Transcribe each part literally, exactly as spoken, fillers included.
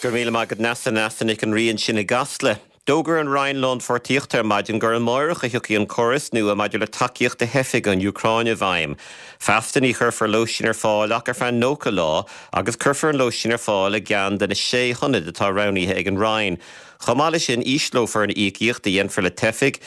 Go raibh míle maith agat Neasa Neasa Nic an Rí ansin i gCasla. D'fhógair an Roinn Lánpháirtíochta ar maidin gur amárach a thiocfaidh an córas nua maidir le tacaíocht do theifigh ón Úcráin i bhfeidhm. Feasta ní chuirfear lóistín ar fáil ach ar feadh nócha lá agus cuirfear an lóistín ar fáil i gceann de na sé hionad atá roghnaithe ag an Roinn. Chomh maith leis sin ísleofar an íocaíocht a dhéanfar le teifigh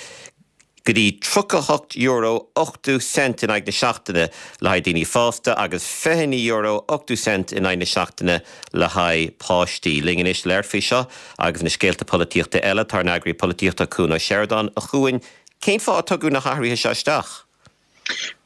go dtí tríocha hocht euro ochtó cent in aghaidh na seachtaine le haghaidh daoine fásta agus fiche naoi euro ochtó cent in aghaidh na seachtaine le haghaidh páistí. Linn anois le labhairt faoi seo agus na scéalta polaitíochta eile tá ár n-eagraí polaitíochta Cuan Ó Seireadáin a Chuain, cén fáth a tugadh na hathruithe seo isteach?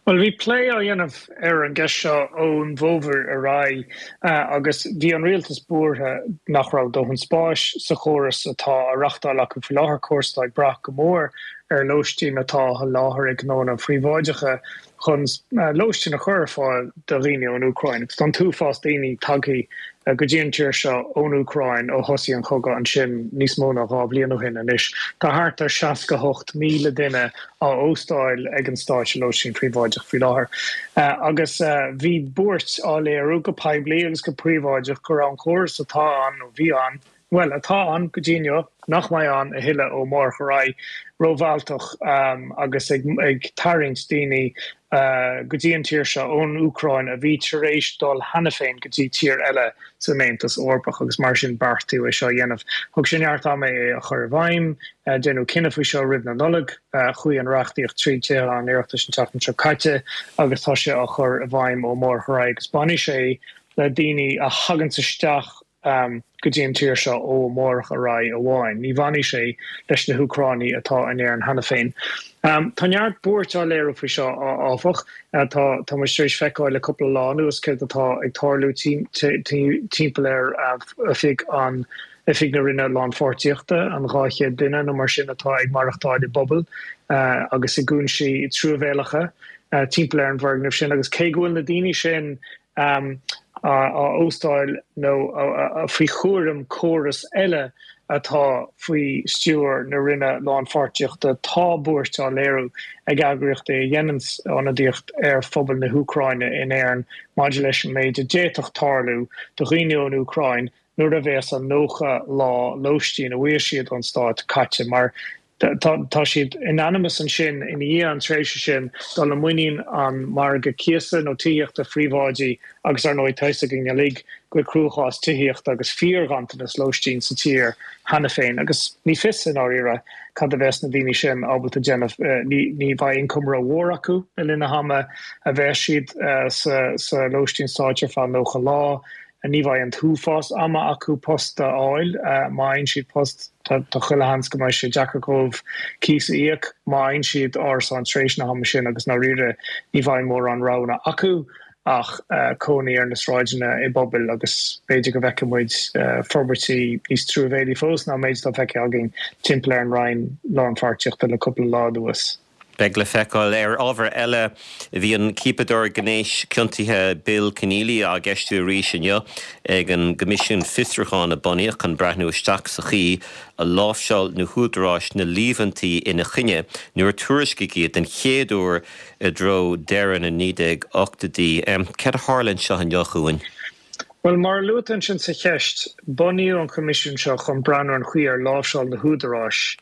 Well bhí plé á dhéanamh ar an gceist seo ón bhfómhar ar aghaidh agus bhí an rialtas buartha nach raibh dóthain spáis sa chóras atá á reáchtáil acu faoi láthair córas atá ag brath go mór ar lóistín atá á sholáthar ag gnónna príobháideacha chun lóistín a chur ar fáil do dhaoine ón Úcráin. Agus tá an t-uafás daoine tagtha go dtí an tír seo ón Úcráin ó thosaigh an cogadh ansin níos mó ná dhá bhliain ó shin anois. Tá thart ar seasca hocht míle duine á óstáil ag an stát i lóistín príobháideach faoi láthair. Agus bhí buairt á léiriú go poiblí agus go príobháideach go raibh an córas atá ann nó bhí ann, bhuel, atá ann go dtí inniu, nach mbeidh ann a thuilleadh ó amárach ar aghaidh, rómhealltach agus ag ag tarraingt daoine go dtí an tír seo ón Úcráin a bhí tar éis dul cheana féin go dtí tír eile san Aontas Eorpach agus mar sin beartaíodh é seo a dhéanamh. Thóg sé neart ama é a chur i bhfeidhm, déanadh cinneadh faoi seo roimh na Nollag, chuaigh an reachtaíocht trí Tithe an Oireachtais an tseachtain seo caite agus tá sé á chur i bhfeidhm ó amárach ar aghaidh agus bainfidh sé le daoine a thaganns isteach go dtí an tír seo ó amárach ar aghaidh amháin. Ní bhainfidh sé leis na hÚcránaigh atá in Éirinn cheana féin. Tá neart buairt á léiriú faoi seo, áfach. Tá tá muid tar éis feiceáil le cúpla lá anuas céard atá ag tarlú timpeall ar oifig an Oifig na Roinne Lánpháirtíochta, an dhá chéad duine nó mar sin atá ag maireachtáil i bpubaill agus i gcúinsí truamhéalacha timpeall ar an bhfoirgneamh sin agus cé go bhfuil na daoine sin á óstáil nó faoi chúram córas eile atá faoi stiúir na Roinne Lánpháirtíochta, tá buairt á léiriú ag eagraíochtaí a dhéanann ionadaíocht ar phobal na hÚcráine in Éirinn maidir leis an méid a d'fhéadfadh tarlú do dhaoine ón Úcráin nuair a bheas an nócha lá lóistín a bhfuair siad ón stát caite mar tá siad in ainm is ansin ina dhiaidh an tréimhse sin dul i muinín an margadh cíosa nó tithíochta phríobháidí agus ar ndóigh tá a fhios againn uilig go bhfuil cruachás tithíochta agus fíorghanntanas lóistín sa tír cheana féin agus ní fios i ndáiríre cad a bheas na daoine sin ábalta déanamh. Ní bheidh ioncam rómhór acu le linn na hama a bheas siad sa lóistín stáit ar feadh nócha lá. Ní bheidh an t-uafás ama acu post a fháil. Má fhaigheann siad post, tá chuile sheans go mbeidh sé deacair dóibh cíos a íoc. Má fhaigheann siad árasán tar éis na hama sin agus i ndáiríre ní bheidh mórán roghanna acu ach cónaí ar na sráideanna i bpubaill agus b'fhéidir go bhfeicfidh muid forbairtí níos truamhéalaí fós ná an méid atá feicthe againn timpeall ar an Roinn Lánpháirtíochta le cúpla lá anuas. Beidh le feiceáil. Ar ábhar eile, bhí an ciapadóir gnéis ciontaithe Bill Kenneally á gceistiú arís inniu ag an gCoimisiún Fiosrúcháin a bunaíodh chun breathnú isteach sa chaoi a láimhseáil na húdaráis na líomhaintí ina choinne nuair a tuairiscíodh iad den chéad uair i dtreo deireadh na naoi déag ochtóidí. Cad a tharla anseo inniu, a Chuain? Bhuel, mar a luaigh tú ansin sa cheist, bunaíodh an Coimisiún seo chun breathnú ar an chaoi ar láimhseáil na húdaráis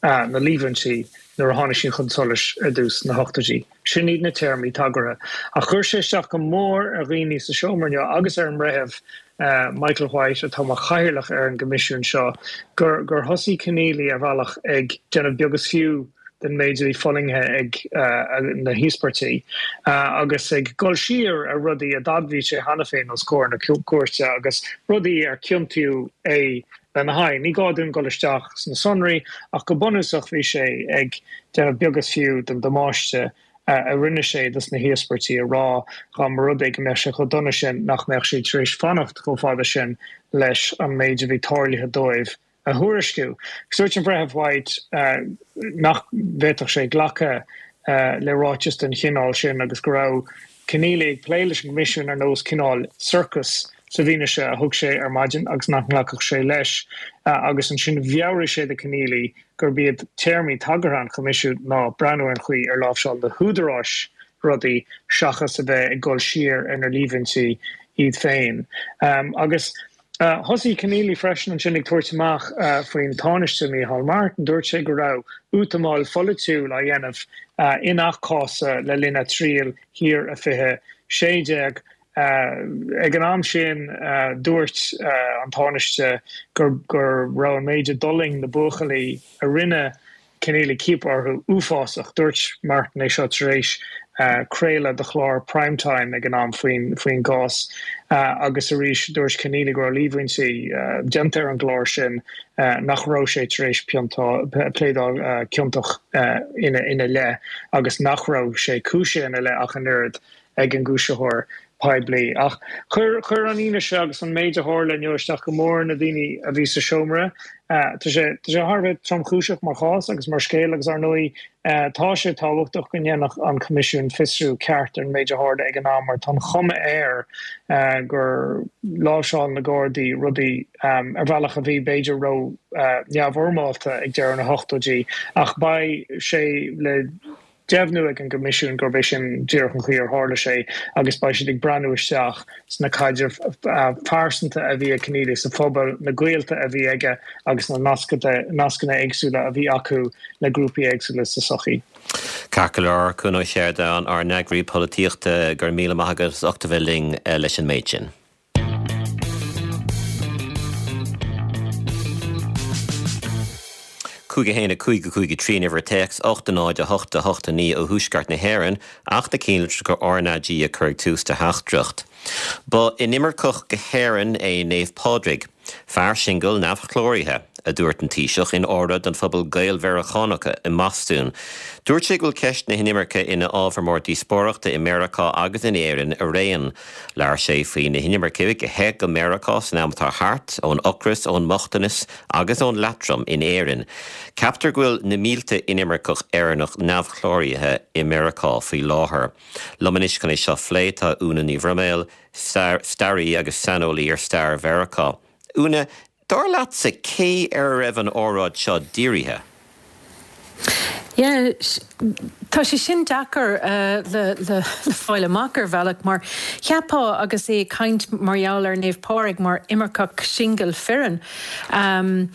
na líomhaintí nuair a tháinig siad chun solais ar dtús sna hochtóidí. Sin iad na téarmaí tagartha. Ach chuir sé isteach go mór ar dhaoine sa seomra inniu agus ar an mBreitheamh Michael White, atá mar chathaoirleach ar an gcoimisiún seo, gur gur thosaigh Kenneally ar bhealach ag déanamh beag is fiú den méid a bhí fulaingthe ag na híospartaigh agus ag dul siar ar rudaí a d'admhaigh sé cheana féin os comhair na cúirte agus rudaí ar ciontaíodh é lena haghaidh. Ní gá dúinn dul isteach sna sonraí ach go bunúsach bhí sé ag déanamh beag is fiú den damáiste a rinne sé dos na híospartaigh ag rá dá mba rud é go mbeadh sé chomh dona sin nach mbeadh siad tar éis fanacht chomh fada sin leis an méid a bhí tarlaithe dóibh a thuairisciú. Dúirt an Breitheamh White nach bhféadfadh sé glacadh le ráiteas den chineál sin agus go raibh Kenneally ag plé leis an gCoimisiún ar nós cineál sorcas sa bhfianaise a thug sé ar maidin agus nach nglacfadh sé leis agus ansin mheabhraigh sé do Kenneally gurb iad téarmaí tagartha an Choimisiúin ná breathnú ar an chaoi ar láimhseáil na húdaráis rudaí seachas a bheith ag dul siar ar na líomhaintí iad féin. Agus Thosaigh Keneally freisin ansin ag tabhairt amach faoin Tánaiste Micheál Martin. Dúirt sé go raibh útamáil pholaitiúil á dhéanamh i ngach cás le linn a triail thiar i fiche sé déag. Ag an am sin dúirt an Tánaiste gur gur raibh an méid a d'fhulaing na buachaillí a rinne Keneally ciapadh orthu uafásach. Dúirt Martin é seo tar éis craoladh do chlár Prime Time ag an am faoin faoin gcás agus arís dúirt Keneally go raibh líomhaintí déanta ar an gclár sin nach raibh sé tar éis pléadáil ciontach ina ina leith agus nach raibh sé cúisithe ina leith ach an oiread ag an gcúisitheoir poiblí. Ach chuir chuir an fhianaise agus an méid a tharla inniu isteach go mór ar na daoine a bhí sa seomra. Tá sé tá sé thar a bheith tromchúiseach mar chás agus mar scéal agus ar ndóigh tá sé tábhachtach go ndéanfadh an Coimisiún fiosrú ceart ar an méid a tharla ag an am mar tá an chuma air gur láimhseáil na Gardaí rudaí ar bhealach a bhí b'fhéidir ró neamhfhoirmeálta ag deireadh na hochtóidí ach beidh sé le deimhniú ag an gCoimisiún gurb é sin díreach an chaoi ar tharla sé agus beidh siad ag breathnú isteach sna caidrimh phearsanta a bhí ag Keneally sa phobal, na gaolta a bhí aige agus na nascanna éagsúla a bhí acu le grúpaí éagsúla sa tsochaí. Ceart go leor, Cuan Ó Seireadáin, ár n-eagraí polaitíochta, go raibh míle maith agat as ucht a bheith linn leis an méid sin. cúig a haon a cúig a cúig a trí an uimhir téacs, ocht a náid a hocht a hocht a naoi ó thuaisceart na hÉireann ach na cinnlitreacha RnaG a chur ag tús do theachtaireacht. Ba inimirceach go hÉirinn é Naomh Pádraig, fear singil neamhchláraithe, a dúirt an Taoiseach in óráid don phobal Gael-Mheiriceánach i mBostún. Dúirt sé go bhfuil ceist na hinimirce ina ábhar mór díospóireachta i Meiriceá agus in Éirinn araon. Labhair sé faoi na hinimircigh a theith go Meiriceá san am atá thart, ón ocras, ón mbochtanas agus ón leatrom in Éirinn. Ceaptar go bhfuil na mílte inimirceach Éireannach neamhchláraithe i Meiriceá faoi láthair. Liom anois chun é seo a phlé tá Úna Ní Bhroiméil, staraí agus saineolaí ar stair Mheiriceá. Úna, dar leatsa cé ar a raibh an óráid seo dírithe? Yeah, tá sé sin deacair le le fáil amach ar bhealach mar cheapfá agus é ag caint mar gheall ar Naomh Pádraig mar imirceach singil fireann. Um,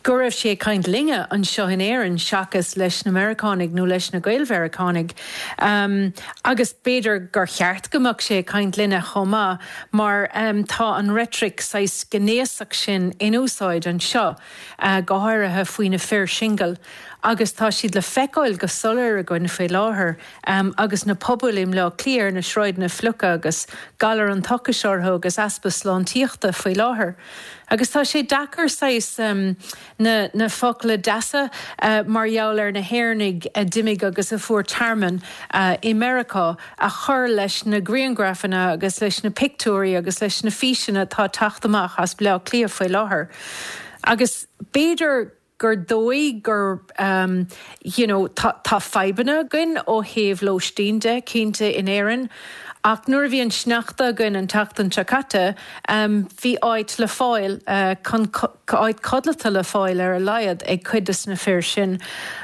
go raibh sé ag caint linne anseo in Éirinn seachas leis na Meiriceánaigh nó leis na Gael-Mheiriceánaigh. Um, agus b'fhéidir gur cheart go mbeadh sé ag caint linne chomh maith mar um, tá an reitric saghas gnéasach sin in úsáid anseo, uh, go háirithe faoi na fir singil. Agus tá siad le feiceáil go soiléir againn faoi láthair um, agus na pobail i mBleá Cliath ar na sráideanna fliucha agus galar an tochais orthu agus easpa sláintíochta faoi láthair. Agus tá sé deacair saghas um, na, na focla deasa uh, mar gheall ar na hÉireannaigh a d'imigh agus a fuair tearmann uh, i Meiriceá a chur leis na grianghrafanna agus leis na pictiúirí agus leis na físeanna atá ag teacht amach as Bleá Cliath faoi láthair. Agus b'fhéidir gur dóigh gur um, you know, tá, tá fadhbanna againn ó thaobh lóistín de cinnte in Éirinn. Ach nuair a bhí an sneachta againn an tseachtain seo caite, um, bhí áit le fáil uh, chun áit codlata le fáil ar a laghad ag cuid de na fir sin.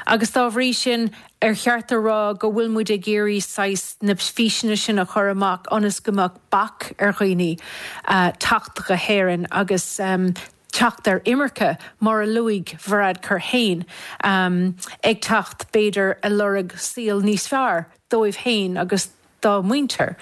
Agus dá bhrí sin ar cheart a rá go bhfuil muid ag iarraidh saghas na físeanna sin a chur amach ionas go mbeadh bac ar dhaoine uh, teacht go hÉirinn agus um, teacht ar imirce mar a luaigh Varadkar féin um, ag teacht b'fhéidir a lorg saol níos fearr dóibh féin agus dá muintir.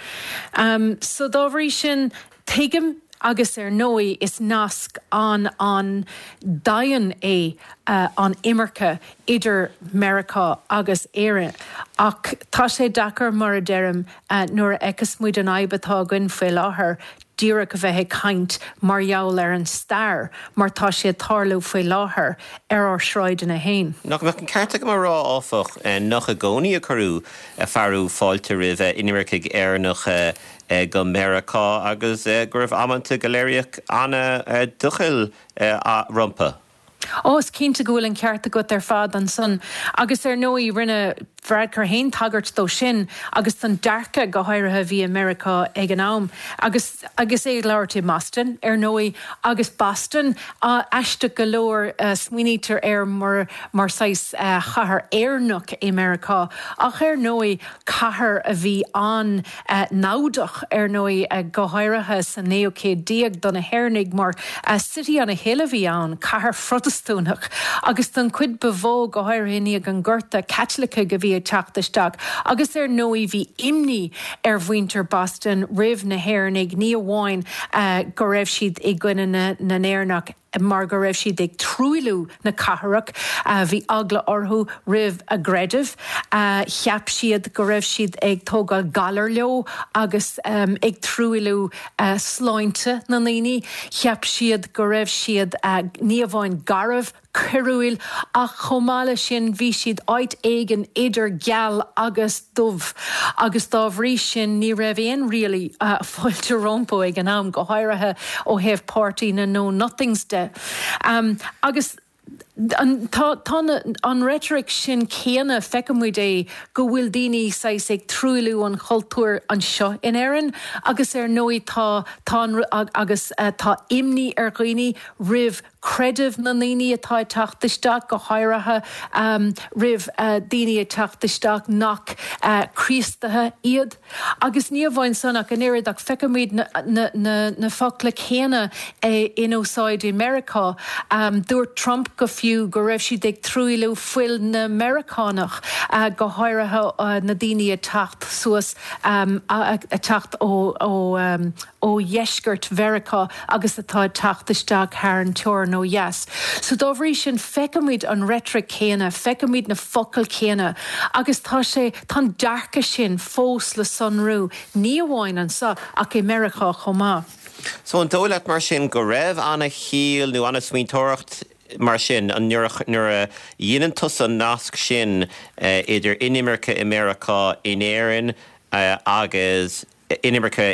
Um, so dá bhrí sin tuigim agus ar ndóigh is nasc an an-daingean é uh, an imirce idir Meiriceá agus Éire. Ach tá sé deacair mar a deirim uh, nuair a fheiceas muid an fhadhb atá againn faoi láthair díreach a bheith ag caint mar gheall ar an stair mar tá sé ag tarlú faoi láthair ar ár sráideanna féin. Nach mbeadh an ceart agam a rá áfach nach i gcónaí a cuireadh fearadh fáilte roimh inimircigh Éireannacha go Meiriceá agus go raibh amanta go léiríodh an-doicheall rompu. Ó is cinnte go bhfuil an ceart agat ar fad ansan agus ar ndóigh rinne Varadkar féin tagairt dó sin agus don dearcadh go háirithe bhí i Meiriceá ag an am agus agus é ag labhairt i mBoston ar ndóigh agus Boston aisteach go leor smaoinítear air mar mar saghas chathair Éireannach i Meiriceá ach ar ndóigh cathair a bhí an-namhdach ar ndóigh go háirithe sa naoú céad déag do na hÉireannaigh mar City on a Hill a bhí ann, cathair Phrotastúnach agus don chuid ba mhó go háirithe i ndiaidh an Ghorta Caitlicigh a bhí ag teacht isteach agus ar ndóigh bhí imní ar mhuintir Boston roimh na hÉireannaigh ní amháin go raibh siad i gcoinne na nÉireannach mar go raibh siad ag truailliú na cathrach, bhí eagla orthu roimh a gcreideamh, cheap siad go raibh siad ag tógáil galar leo agus ag truailliú sláinte na ndaoine, cheap siad go raibh siad ní amháin garbh, coiriúil ach chomh maith leis sin bhí siad áit éigin idir geal agus dubh agus dá bhrí sin ní raibh aon really fáilte rompu ag an am, go háirithe ó thaobh páirtí na Know Nothings de. Um, agus an, tá, tá an rhetoric sin céanna feicimid é go bhfuil daoine saghas ag truailliú an chultúir anseo in Éirinn agus ar ndóigh tá tá agus uh, tá imní ar dhaoine roimh creideamh na ndaoine atá ag teacht isteach go háirithe um, roimh uh, daoine ag teacht isteach nach uh, Críostaithe iad. Agus ní amháin san ach an oiread ach feicimid na, na, na, na focla céanna eh, in úsáid i Meiriceá. Um, dúirt Trump go fiú go raibh siad ag truailliú fuil na Meiriceánach uh, go háirithe uh, na daoine ag teacht suas um, ag teacht ó, ó, um, ó dheisceart Mheiriceá agus atá ag teacht isteach thar an teorainn ó dheas. So dá bhrí sin feicimid an rhetoric céanna, feicimid na focail céanna, agus tá sé tá dearcadh sin fós le sonrú ní amháin anseo ach i Meiriceá chomh maith. So an dóigh leat mar sin go raibh an-chiall nó an-smaointeoireacht mar sin an nuair a dhéanann tusa an nasc sin uh, idir inimirce i Meiriceá in Éirinn uh, agus inimirce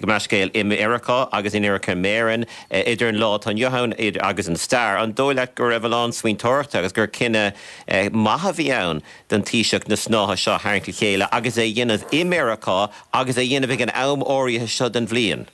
meascéil i Meiriceá agus inimirce in Éirinn idir an lá atá inniu ann agus an stair. An dóigh leat go raibh a lán smaointeoireachta agus gur cinneadh maith a bhí ann don Taoiseach na snáithe seo a tharraingt le chéile agus é dhéanamh i Meiriceá agus é dhéanamh ag an am áirithe seo den bhliain.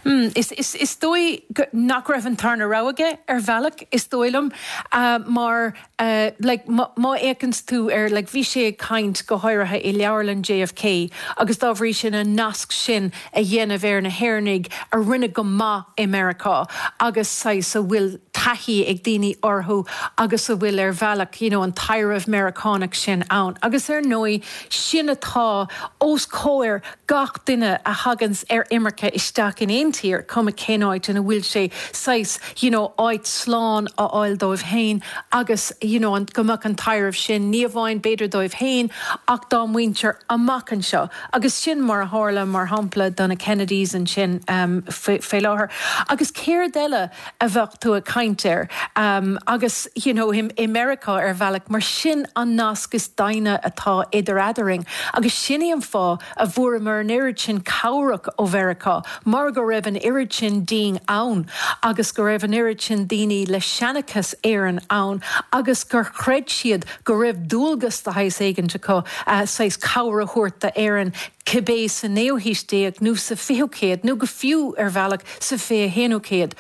Mm, is, is, is dóigh nach raibh an tarna rogha aige ar bhealach is dóigh liom uh, mar uh, like, má fhéachann tú ar like, bhí sé ag caint go háirithe i leabharlann JFK agus dá bhrí sin an nasc sin a dhéanamh ar na hÉireannaigh a rinne go maith i Meiriceá agus saghas a bhfuil taithí ag daoine orthu agus a bhfuil ar bhealach you know, an taibhreamh Meiriceánach sin ann. Agus ar ndóigh sin atá os comhair gach duine a thaganns ar imirce isteach in aon tír cuma cén áit ina bhfuil sé saghas you know, áit slán a fháil dóibh féin agus you know, an go mbeadh an taibhreamh sin ní amháin b'fhéidir dóibh féin ach dá muintir amach anseo. Agus sin mar a tharla mar shampla do na Kennedys ansin um, fé láthair. Agus céard eile a bheadh tú ag caint air um, agus you know, i, i Meiriceá ar bhealach mar sin an nasc is doimhne atá idir eadrainn. Agus sin é an fáth a bhfuaireamar an oiread sin cabhrach ó Mheiriceá, mar go raibh an oiread sin dínn ann, agus go raibh an oiread sin daoine le seanchas Éireann ann, agus gur chreid siad go raibh dualgas de shaghas éigin acu uh, saghas cabhair a thabhairt d'Éirinn cibé sa naoú haois déag nó sa fichiú céad nó go fiú ar bhealach sa fiche haonú céad.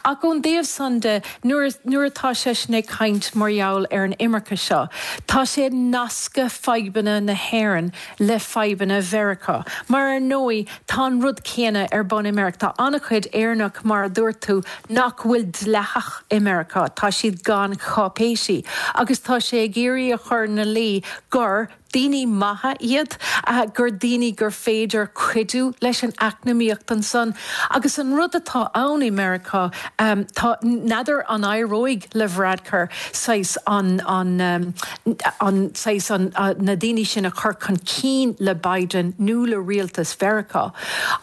Ach ón dtaobh san de nuair atá sé sin ag caint mar gheall ar an imirce seo. Tá sé ag nascadh fadhbanna na hÉireann le fadhbanna Mheiriceá. Mar ar ndóigh tá an rud céanna ar bun i Meiriceá Tá an-chuid Éireannach mar a dúirt tú nach bhfuil dleathach i Meiriceá, Tá siad gan cháipéisí, agus tá sé ag iarraidh a chur ina luí gur daoine maithe iad gur daoine gur féidir cuidiú leis an eacnamaíocht ansan. Agus an rud atá ann i Meiriceá um, tá n'fheadar an éireoidh le Varadkar saghas an, an, um, an, saghas an, uh, na daoine sin a chur chun cinn le Biden nó le rialtas Mheiriceá.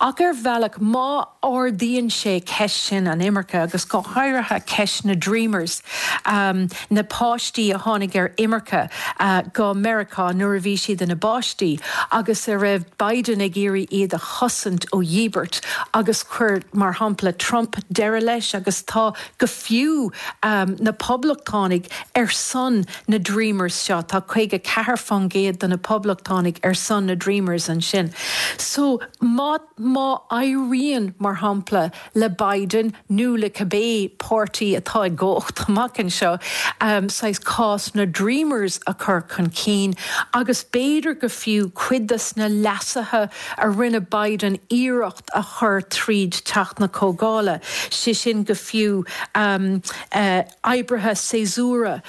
Ach ar bhealach má ardaíonn sé ceist sin an imirce agus go háirithe ceist na Dreamers um, na páistí a tháinig ar imirce uh, go Meiriceá nuair nuair a bhí siad ina bpáistí agus a raibh Biden ag iarraidh iad a chosaint ó dhíbirt agus chuir, mar shampla, Trump deireadh leis agus tá go fiú na Poblachtánaigh ar son na Dreamers seo, tá caoga ceathair faoin gcéad de na Poblachtánaigh ar son na Dreamers ansin. So má má éiríonn, mar shampla, le Biden nó le cibé páirtí atá i gcumhacht amach anseo, saghas cás na Dreamers a chur chun cinn agus b'fhéidir go fiú cuid de na leasuithe a rinne Biden iarracht a chur tríd Teach na Comhdhála, sé sin go fiú oibrithe séasúra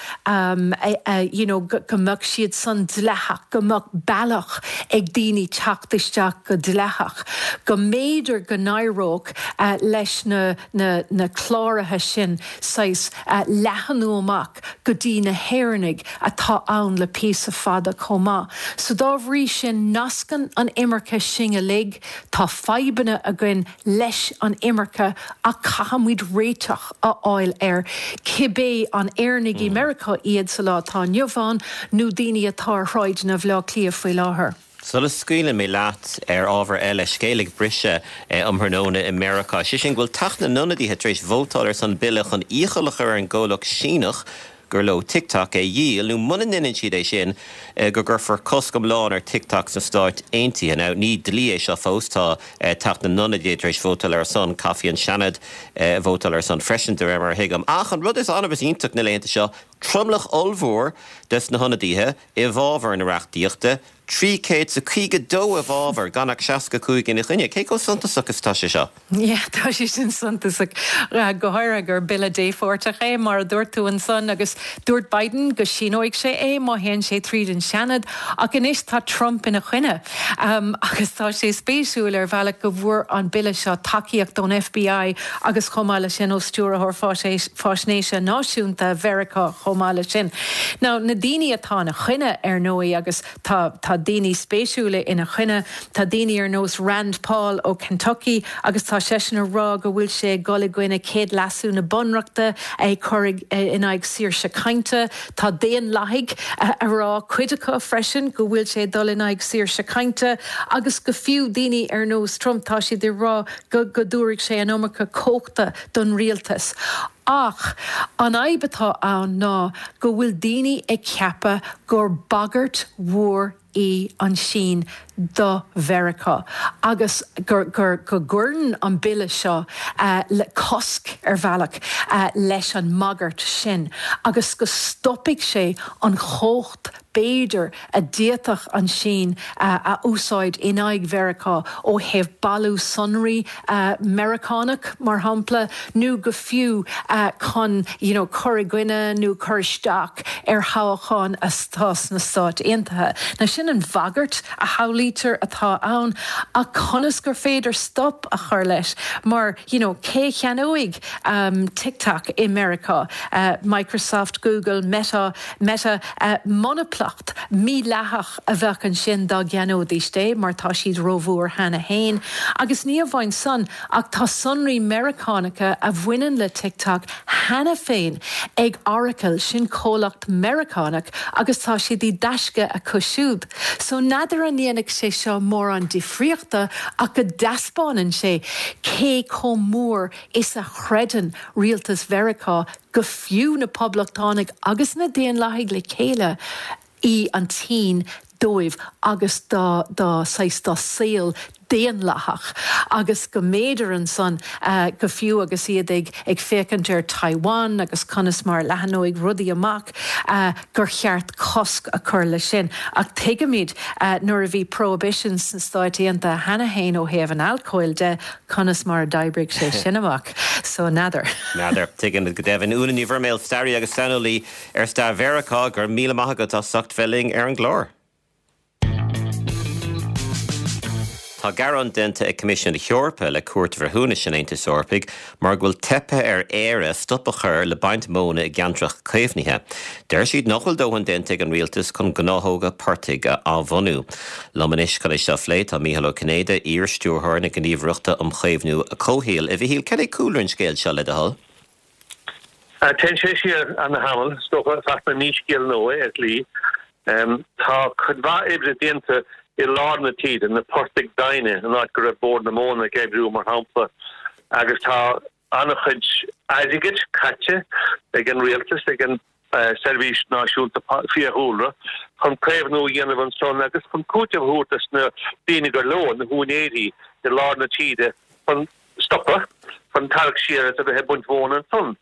you know go mbeadh siad san dleathach, go mbeadh bealach ag daoine teacht isteach go dleathach, go mb'fhéidir go n-éireodh leis na na na cláraithe sin saghas leathnú amach go dtí na hÉireannaigh atá ann le píosa fada chomh maith. So dá bhrí sin nascann an imirce sinn uilig, tá fadhbanna againn leis an imirce ach caithfimid réiteach a fháil air, cibé an Éireannaigh i Meiriceá iad sa lá atá inniu ann nó daoine atá ar shráideanna Bhaile Átha Cliath faoi láthair. Sula scaoileann mé leat ar ábhar eile, scéal ag briseadh um thráthnóna i Meiriceá, sé sin go bhfuil Teach na nIonadaithe tar éis vótáil ar son bille chun iachall a chur ar an gcomhlacht Síneach gur leo TikTok é a dhíol, nó muna ndéanann siad é sin, go gcuirfear cosc iomlán ar TikTok sna Stáit Aontaithe. Now, ní dlí é seo fós, tá Teach na nIonadaithe tar éis vótáil ar a son, caithfidh an Seanad vótáil ar a son freisin, de réir mar a thuigim. Ach an rud is annamh is iontach na laethanta seo, tromlach ollmhór des na hionadaithe i bhfabhar na reachtaíochta, trí chéad is a caoga dó i bhfabhar, gan ach seasca cúig ina choinne. Cé chomh suntasach is atá sé seo? Yeah, tá sé sin suntasach, go háirithe gur bille dépháirteach é, mar a dúirt tú ansan, agus dúirt Biden go síneoidh sé é má théann sé tríd an Seanad, ach anois tá Trump ina choinne. Agus tá sé spéisiúil ar bhealach go bhfuair an bille seo tacaíocht ón FBI agus chomh maith leis sin ó Stiúrthóir Faisnéise Náisiúnta Mheiriceá chomh maith leis sin. Now, na daoine atá ina choinne, ar ndóigh, agus tá tá daoine spéisiúla ina choinne, tá daoine ar nós Rand Paul ó Kentucky agus tá seisean ag rá go bhfuil sé ag dul i gcoinne céad leasú na Bunreachta, ag cur in aghaidh saoirse cainte. Tá Daonlathaigh ag rá, cuid acu freisin, go bhfuil sé ag dul in aghaidh saoirse cainte agus go fiú daoine ar nós Trump, tá siad ag rá go go dtabharfaidh sé an iomarca cumhachta don rialtas. Ach an fhadhb atá ann ná go bhfuil daoine ag ceapadh gur bagairt mhór í an tSín do Mheiriceá agus gur gur go gcuireann an bille seo le cosc ar bhealach leis an mbagairt sin agus go stopfaidh sé an chumhacht b'fhéidir a d'fhéadfadh an tSín a úsáid in aghaidh Mheiriceá ó thaobh bailiú sonraí Meiriceánach, mar shampla, nó go fiú chun you know cur i gcoinne nó cur isteach ar thoghcháin atá sna Stáit Aontaithe. Now sin an bhagairt a shamhlaítear atá ann, ach conas gur féidir stop a chur leis mar you know cé a cheannóidh TikTok i Meiriceá? Microsoft, Google, Meta, Meta, monaplacht mídhleathach a bheadh ansin dá gceannóidís é mar tá siad rómhór cheana féin. Agus ní amháin san ach tá sonraí Meiriceánacha a bhaineann le TikTok cheana féin ag Oracle, sin comhlacht Meiriceánach agus tá siad i dtaisce acu siúd. So n'fheadar an ndéanfaidh sé seo mórán difríochta ach go dtaispeánann sé cé chomh mór is a chreideann rialtas Mheiriceá go fiú na Poblachtánaigh agus na Daonlathaigh le chéile í an tSín dóibh agus dá dá saghas dá saol daonlathach agus go mb'fhéidir ansan go fiú agus iad ag ag féachaint ar Taiwan agus conas mar a leathnóidh rudaí amach gur cheart cosc a chur leis sin. Ach tuigimid nuair a bhí prohibition sna Stáit Aontaithe cheana féin ó thaobh an alcóil de conas mar a d'oibrigh sé sin amach. So n'fheadar. N'fheadar. Tuigimid go deimhin. Úna Ní Bhroiméil, staraí agus saineolaí ar stair Mheiriceá, go raibh míle maith agat as ucht bheith linn ar an gclár. Tá gearán déanta ag Coimisiún na hEorpa le Cúirt Bhreithiúnais an Aontais Eorpaigh mar go bhfuil teipthe ar Éire stop a chur le baint móna i gceantracha caomhnaithe. Deir siad nach bhfuil dóthain déanta ag an rialtas chun gnáthóga portaigh a athbhunú. Liom anois chun é seo a phlé tá Mícheál Ó Cinnéide, iar-stiúrthóir na Gníomhaireachta um Chaomhnú Comhshaoil. A Mhichíl, cad é cúlra an scéil seo le do thoil? Téann sé siar ana-thamall, is dócha, feasta ní scéal nua é ar shlí. Tá cuid mhaith oibre déanta i lár na tíre, na portaigh doimhne, an áit go raibh Bord na Móna ag oibriú mar shampla, agus tá an-chuid airgid caite ag an rialtas, ag an Seirbhís Náisiúnta Fiadhúlra, chun caomhnú a dhéanamh ansan agus chun cúiteamh a thabhairt dos na daoine gur leo, na húinéirí i lár na tíre, chun stopadh, chun tarrac siar as a bheith ag baint mhóna ansan.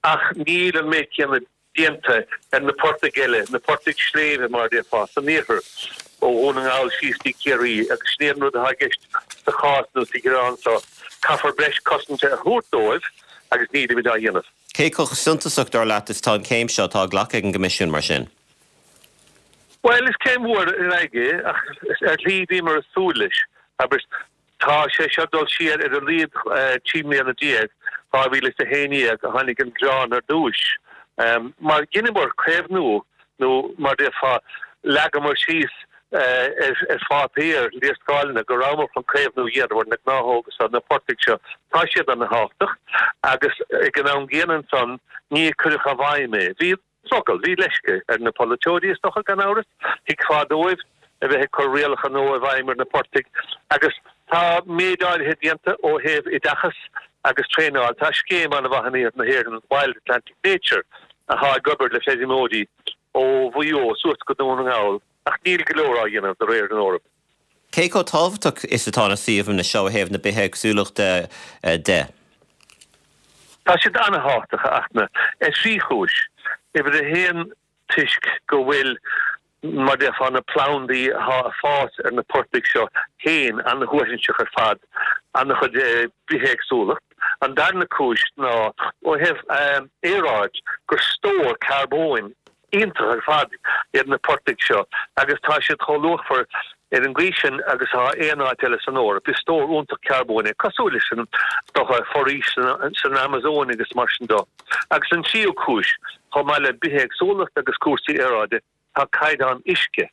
Ach níl an méid céanna déanta ar na portaigh eile, na portaigh sléibhe mar a déarfá, san iarthar, ó Dhún na nGall síos dtí Ciarraí, agus sin é an rud atá i gceist sa chás nó sa ghearán seo, caithfear breis cosanta a thabhairt dóibh agus nílimid á dhéanamh. Cé chomh suntasach, dar leat, is atá an chéim seo atá glactha ag an gCoimisiún mar sin? Bhuel, is céim mhór ar aghaidh é, ach ar shlí bhíomar ag súil leis. Abair, tá sé seo ag dul siar ar a laghad trí mbliana déag, dhá mhíle is a haon déag a tháinig an gearán ar dtúis. Mar dheineamar caomhnú nó mar a déarfá leagamar síos ar pháipéar léarscáileanna go rabhamar chun caomhnú a dhéanamh ar na gnáthóga seo, na portaigh seo, tá siad ana-thábhachtach agus ag an am gcéanna ansan ní cuireadh i bhfeidhm é. Bhí drogall, bhí leisce ar na polaiteoirí is dócha, gan amhras, thuigfeá dóibh a bheith ag cur rialacha nua i bhfeidhm ar na portaigh agus tá méid áirithe déanta ó thaobh oideachas agus traenáil. Tá scéim an-mhaith in iarthar na hÉireann, Wild Atlantic Nature, atá ag obair le feirmeoirí ó Mhaigh Eo suas go Dún na nGall ach níl go leor á dhéanamh de réir an Eoraip. Cé chomh tábhachtach is atá na suíomhanna seo ó thaobh na bithéagsúlachta de? Tá siad an-thábhachtach, a Fhachtna, ar thrí chúis. Uimhir a haon, toisc go bhfuil, mar a déarfá, na plandaí atá ag fás ar na portaigh seo féin an-shuaithinseach ar fad, an-chuid bithéagsúlacht. An darna cúis ná ó thaobh aeráid, gur stór carbóin iontach ar fad iad na portaigh seo agus tá siad chomh luachmhar ar an gcaoi sin agus atá aon áit eile san Eoraip. Is stór iontach carbóin é, cosúil leis an dócha foraois san Amazóin agus mar sin de. Agus an tríú cúis, chomh maith le bithéagsúlacht agus cúrsaí aeráide, tá caighdeán uisce.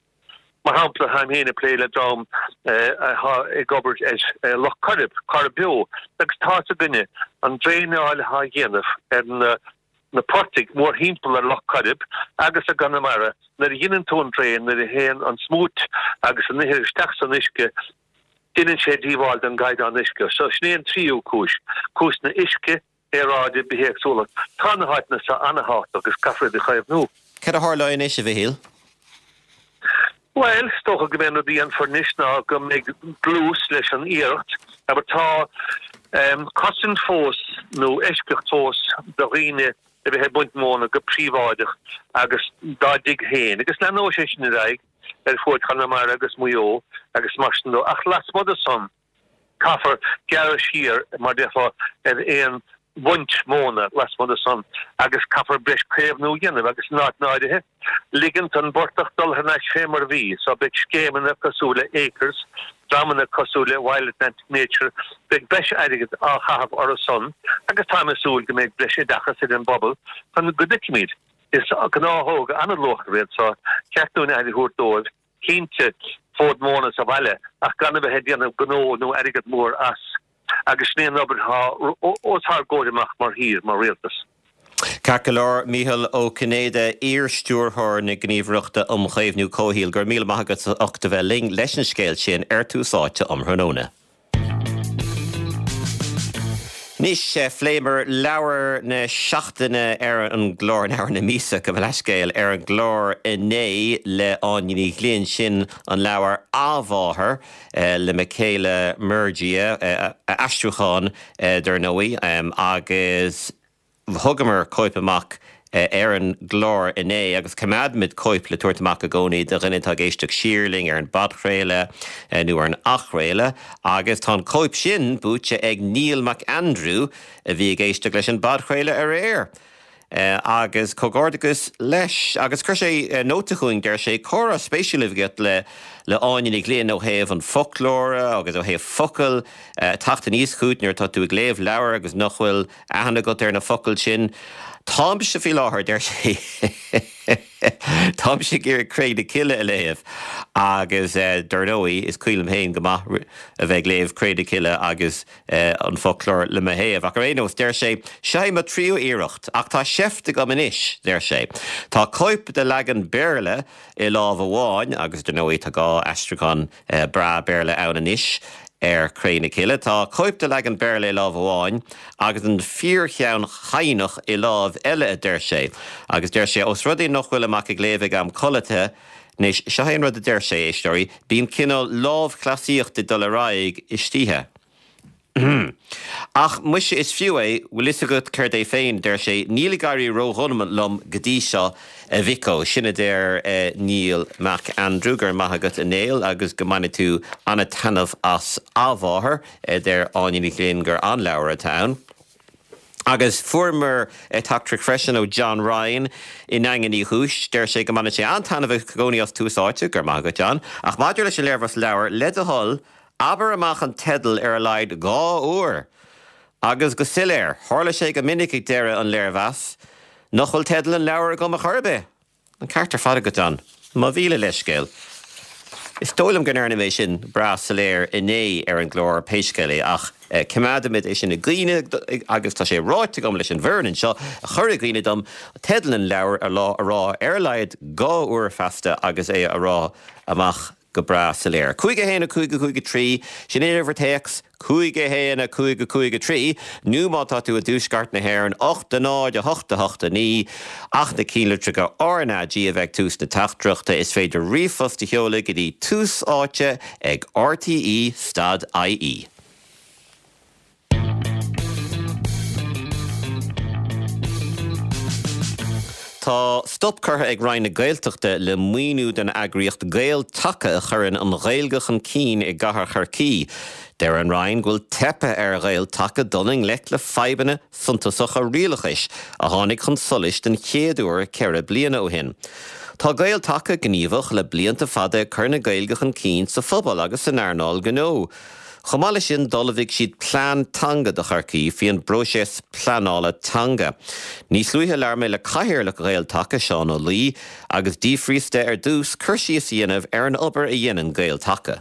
Mar shampla, táim féin ag plé le dream atá ag obair ar Loch Coirib, Coirib Beo, agus tá's againne an draenáil atá á dhéanamh ar na na portaigh mórthimpeall ar Loch Coirib agus i gConamara, nuair a dheineann tú an draein, nuair a théann an smúit agus an ithir isteach san uisce, deineann sé díobháil don gcaighdeán uisce. So sin é an tríú cúis, cúis na uisce, aeráide, bithéagsúlacht. Tá na háiteanna seo ana-thábhachtach agus caithfear iad a chaomhnú. Cad a tharlóidh anois, a Mhichíl? Bhuel, is dócha go mbeidh an rud a dhéanfar anois ná go mbeidh dlús leis an iarracht. Abair, tá cosaint fós nó eisceacht fós do dhaoine a bheith ag baint móna go príobháideach agus dá dtigh féin, agus leanóidh sé sin ar aghaidh ar fuaid Chonamara agus Mhaigh Eo agus mar sin de. Ach lasmuigh de san, caithfear gearradh siar, mar a déarfá, ar aon bhaint móna lasmuigh de san agus caithfear breis caomhnú a dhéanamh agus in áiteanna áirithe, ligint don bportach dul thar n-ais fé mar a bhí. So beidh scéimeanna cosúil le Acres, dreamanna cosúil le Wild Atlantic Nature, beidh breis airgid á chaitheamh orthu san agus táim ag súil go mbeidh breis oideachas ar an bpobal chun go dtuigfimid. Is gnáthóga an-luachmhar iad so ceart dúinn aire a thabhairt dóibh. Cinnte, fód móna sa bhaile ach gan a bheith ag déanamh gnó nó airgead mór as. Agus sin é an obair atá os ár gcomhair amach mar thír, mar rialtas. Ceart go leor, Mícheál Ó Cinnéide, iar-Stiúrthóir na Gníomhaireachta um Chaomhnú Comhshaoil, go raibh míle maith agat as ucht a bheith linn leis an scéal sin ar Tús Áite um thráthnóna. Anois, phléamar leabhar na seachtaine ar an gclár, leabhar na míosa, gabh mo leithscéal, ar an gclár inné le Áine Ní Ghlinn, sin an leabhar Athmháthair le Michaela Murgia, aistriúchán dar ndóigh, agus thugamar cóip amach ar an gclár inné agus coimeádaimid cóip le tabhairt amach i gcónaí do dhuine atá ag éisteacht siar linn ar an bpodchraoladh nó ar an athchraoladh agus tá an cóip sin buaite ag Neil McAndrew a bhí ag éisteacht leis an bpodchraoladh aréir. Agus comhghairdeachas leis. Agus chuir sé nóta chugainn, deir sé, comhrá spéisiúil a bhí agat le le Áine Ní Ghlinn ó thaobh an foclóra agus ó thaobh focail teacht aníos chugat nuair atá tú ag léamh leabhair agus nach bhfuil aithne agat ar na focail sin. Táimse faoi láthair deir sé Táimse ag iarraidh Cré na Cille a léamh agus eh, dar ndóigh is cuimhin liom féin go maith a bheith ag léamh Cré na Cille agus eh, an foclóir le mo thaobh. Ach ar aon nós deir sé seo mo tríú iarracht ach tá seift agam anois, deir sé. Tá cóip de leagan Béarla i lámh amháin agus dar ndóigh tá dhá aistriúchán eh, breá Béarla ann anois ar Cré na Cille. Tá cóip de leagan Béarla i lámh amháin agus an fíorcheann Chadhnach i lámh eile a deir sé. Agus deir sé os rud é nach bhfuil mé ag léamh ag am codlata, Anois seo an rud a deir sé éisteoirí, bíonn cineál lámhchleasaíocht ag dul ar aghaidh istoíche. Ach muise is fiú é bhfuil a fhios agat céard é féin deir sé níl ag éirí ródhona liom go dtí seo a Mhicko. Sin a deir eh, Neil Mac Andrew gur maith agat a Néill agus go mbainfidh tú an-taitneamh as A Mháthair eh, deir Áine Ní Ghlinn gur an-leabhar atá ann. Agus fuaireamar teachtaireacht freisin ó John Ryan i nDaingean Uí Chúis, deir sé go mbaineann sé an-taitneamh i gcónaí as Tús Áite gur maith agat John, ach maidir leis an léirmheas leabhar le do thoil, abair amach an teideal ar a laghad dhá uair. Agus go soiléir, tharla sé go minic ag deireadh an léirmheas, nach bhfuil teideal an leabhar agam ar chor ar bith. An ceart ar fad agat John, mo mhíle leithscéal. Is dóigh liom go ndearna mé sin breá soiléir inné ar an gclár pé scéal é ach eh, coimeádfaimid é sin i gcuimhne agus tá sé ráite agam leis an bhfoireann anseo a chur i gcuimhne dom teideal an leabhar a lá a rá ar a laghad dhá uair feasta agus é a rá amach go breá soiléir. Cúig a haon a cúig a cúig a trí sin uimhir téacs cúig a haon a cúig a cúig a trí, nó má tá tú i dtuaisceart na hÉireann ocht a náid a hocht a hocht a naoi ach na ceannlitreacha RnaG a bheith tús na teachtaireachta is féidir ríomhphost a sheoladh go dtí tús áite ag RTE stad IE. Tá stop curtha ag Roinn na Gaeltachta le maoiniú den eagraíocht Gael-Taca a chuireann an Ghaeilge chun cinn i gcathair Chorcaí. Deir an Roinn go bhfuil teipthe ar Ghael-Taca dul i ngleic le fadhbanna suntasacha rialachais a tháinig chun solais den chéad uair ceithre bliana ó shin. Tá Gael-Taca gníomhach le blianta fada ag cur na Gaeilge chun cinn sa phobal agus san earnáil gnó. Chomh maith leis sin d'ullmhaigh siad plean teanga do Chorcaí faoin bpróiseas pleanála teanga. Níos luaithe labhair mé le cathaoirleach Ghael-Taca Seán Ó Laoi agus d'fhiafraíos de ar dtús cur síos a dhéanamh ar an obair a dhéanann Gael-Taca.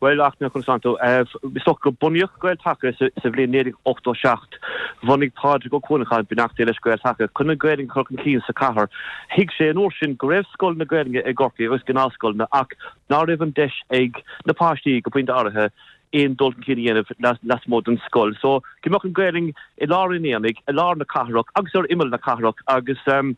Well ach na chun is go bunaíodh Gael-Taca sa bhliain naoi déag ochtó seacht. Bhunaigh Pádraig Ó Cuanacháin beannacht Dé leis Gael-Taca chun an Ghaeilge a chur chun cinn sa chathair. Thuig sé an uair sin go raibh scoileanna Gaeilge i gCorcaigh agus gnáthscoileanna ach ná raibh an deis ag na páistí go pointe áirithe aon dul chun cinn a dhéanamh lasmuigh den scoil. So go mbeadh an Ghaeilge i lár an aonaigh, i lár na cathrach agus ar imeall na cathrach agus um,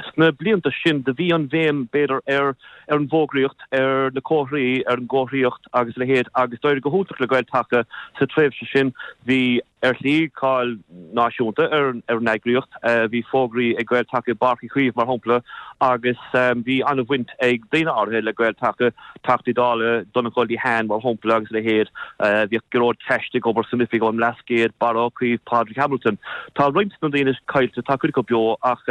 sna blianta sin do bhí an bhéim b'fhéidir ar ar an bhfógraíocht, ar na comharthaí, ar an gcomharthaíocht agus a leithéid agus d'éirigh go hiontach le Gael-Taca sa tréimhse sin. Bhí ar shlí cáil náisiúnta ar ar an eagraíocht, bhí fógraí ag Gael-Taca i bPáirc Uí Chaoimh mar shampla agus bhí an-bhaint ag daoine áirithe le Gael-Taca, Teachtaí Dála Donnchadh Lehane mar shampla agus a leithéid. Bhíodh Gearóid Cassidy ag obair san oifig ón mBlascaod, Barra Ó Caoimh, Pádraig Hamilton. Tá roinnt de na daoine caillte, tá cuid acu beo ach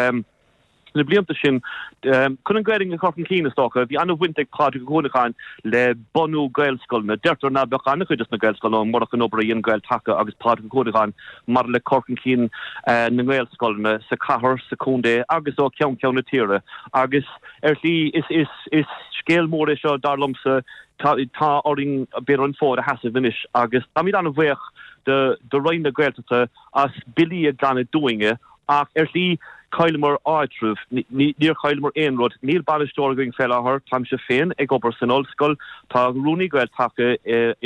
sna blianta sin chun an Ghaeilge a chur chun cinn is dócha, bhí an-bhaint ag Pádraig Ó Cuanacháin le bunú Gaelscoileanna. Deirtear ná beadh an-chuid de na Gaelscoileanna ann murach an obair a dhein Gael-Taca agus Pádraig Ó Cuanacháin maidir le cur chun cinn na nGaelscoileanna sa chathair, sa chontae agus ó cheann ceann na tíre. Agus ar shlí is is is scéal mór é seo dar liomsa, tá tá orainn b'fhéidir an fód a sheasamh anois agus táimid an-bhuíoch de de Roinn na Gaeltachta as billí a ghlanadh dúinne ach ar shlí chailleamar áitreabh, níor chailleamar aon rud. Níl bainisteoir againn fé láthair, táimse féin ag obair san ollscoil, tá rúnaí Gael-Taca